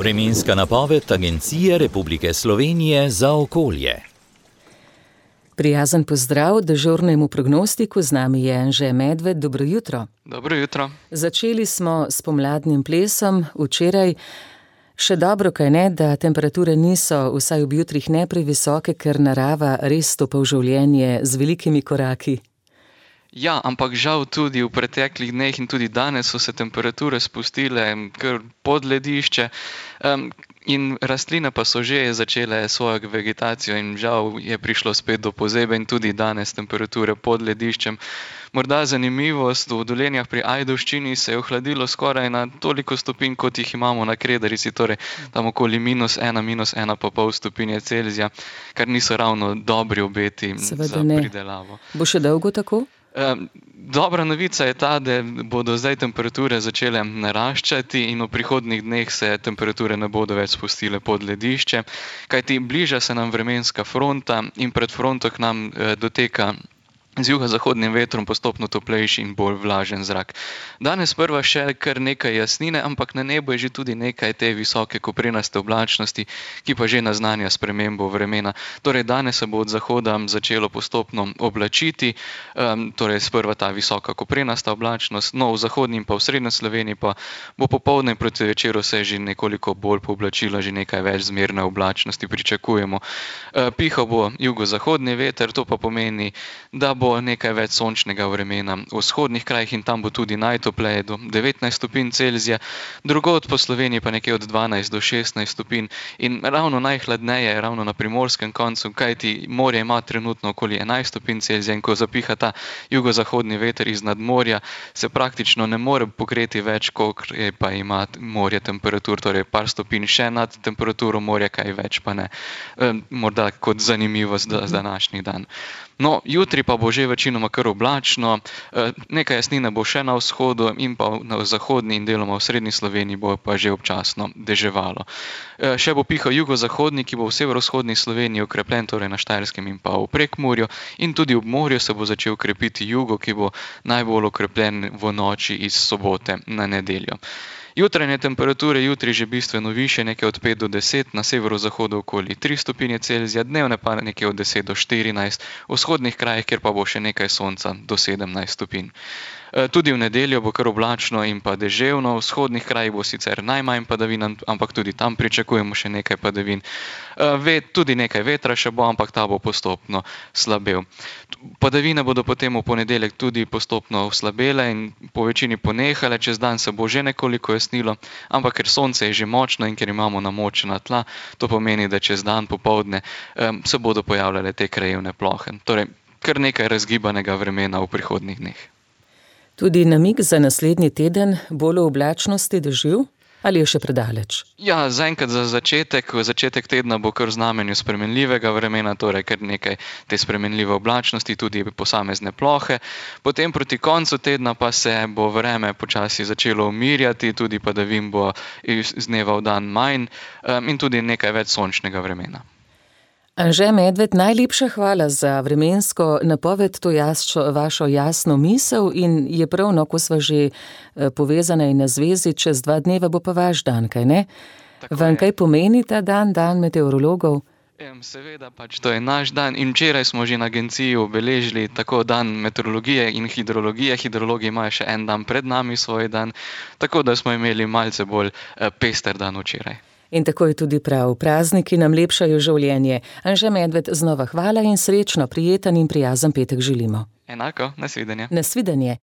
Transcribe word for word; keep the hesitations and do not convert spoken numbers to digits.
Vremenska napoved Agencije Republike Slovenije za okolje. Prijazen pozdrav dežurnemu prognostiku, z nami je Anže Medved. Dobro jutro. Dobro jutro. Začeli smo s pomladnim plesom včeraj. Še dobro, kaj ne, da temperature niso vsaj ob jutrih ne previsoke, ker narava res stopa v življenje z velikimi koraki. Ja, ampak žal tudi v preteklih dneh in tudi danes so se temperature spustile kar pod ledišče um, in rastline pa so že začele svojo vegetacijo in žal je prišlo spet do pozebe in tudi danes temperature pod lediščem. Morda zanimivost, v Dolenjah pri Ajdovščini se je ohladilo skoraj na toliko stopinj, kot jih imamo na Kredarici, torej tam okoli minus ena, minus ena pa pol stopinje Celzija, kar niso ravno dobri obeti Seveda za ne. pridelavo. Bo še dolgo tako? Um, dobra novica je ta, da bodo zdaj temperature začele naraščati in v prihodnjih dneh se temperature ne bodo več spustile pod ledišče, kajti bliža se nam vremenska fronta in pred fronto k nam eh, doteka z jugozahodnim vetrom postopno toplejši in bolj vlažen zrak. Danes prva še kar nekaj jasnine, ampak na nebu je že tudi nekaj te visoke koprenaste oblačnosti, ki pa že naznanja spremembo vremena. Torej danes se bo od zahoda začelo postopno oblačiti, um, torej sprva ta visoka koprenasta oblačnost, no v zahodni in pa v srednji Sloveniji pa bo popoldne proti večeru se že nekoliko bolj pooblačila, že nekaj več zmerne oblačnosti pričakujemo. Uh, pihal bo jugozahodni veter, to pa pomeni, da bo nekaj več sončnega vremena v vzhodnih krajih in tam bo tudi najtopleje do devetnajst stopinj Celzija, drugod po Sloveniji pa nekje od dvanajst do šestnajst stopinj in ravno najhladneje je ravno na primorskem koncu, kajti morje ima trenutno okoli enajst stopinj Celzija in ko zapiha ta jugozahodni veter iz nadmorja, se praktično ne more pokreti več, kolikor pa ima morje temperatur, torej par stopinj še nad temperaturo morja, kaj več pa ne. E, morda kot zanimivost za današnji dan. No, jutri pa bo že večinoma kar oblačno, nekaj jasnine bo še na vzhodu in pa na zahodni in deloma v srednji Sloveniji bo pa že občasno deževalo. Še bo pihal jugozahodni, ki bo v severovzhodni Sloveniji okrepljen, torej na Štajerskem in pa v Prekmurju in tudi ob morju se bo začel krepiti jugo, ki bo najbolj okrepljen v noči iz sobote na nedeljo. Jutranje temperature jutri že bistveno višje, nekaj od pet do deset, na severozahodu okoli tri stopinje Celzija, dnevne pa nekaj od deset do štirinajst, v vzhodnih krajih, kjer pa bo še nekaj sonca do sedemnajst stopinj. Tudi v nedeljo bo kar oblačno in pa deževno, v vzhodnih krajih bo sicer najmanj padavin, ampak tudi tam pričakujemo še nekaj padavin. Tudi nekaj vetra še bo, ampak ta bo postopno slabel. Padavine bodo potem v ponedeljek tudi postopno slabele in po večini ponehale, čez dan se bo že nekoliko jasnilo, ampak ker sonce je že močno in ker imamo namočena tla, to pomeni, da čez dan popoldne se bodo pojavljale te krajevne plohe. Torej, kar nekaj razgibanega vremena v prihodnjih dneh. Tudi namig za naslednji teden bolj v oblačnosti dežju ali je še predaleč? Ja, zaenkrat za začetek, začetek tedna bo kar v znamenju spremenljivega vremena, torej kar nekaj te spremenljive oblačnosti, tudi posamezne plohe. Potem proti koncu tedna pa se bo vreme počasi začelo umirjati, tudi padavin bo iz dneva v dan manj in tudi nekaj več sončnega vremena. Anže Medved, najlepša hvala za vremensko napoved, to jasčo, vašo jasno misel in je prav, no, ko sva že povezana in na zvezi, čez dva dneva bo pa vaš dan, kaj ne? Vam kaj pomeni ta dan, dan meteorologov? Seveda, pač to je naš dan in včeraj smo že na agenciji obeležili tako dan meteorologije in hidrologije. Hidrologi imajo še en dan pred nami svoj dan, tako da smo imeli malce bolj pester dan včeraj. In tako je tudi prav. Prazniki nam lepšajo življenje. Anže Medved, znova hvala in srečno, prijeten in prijazen petek želimo. Enako, nasvidenje. Nasvidenje.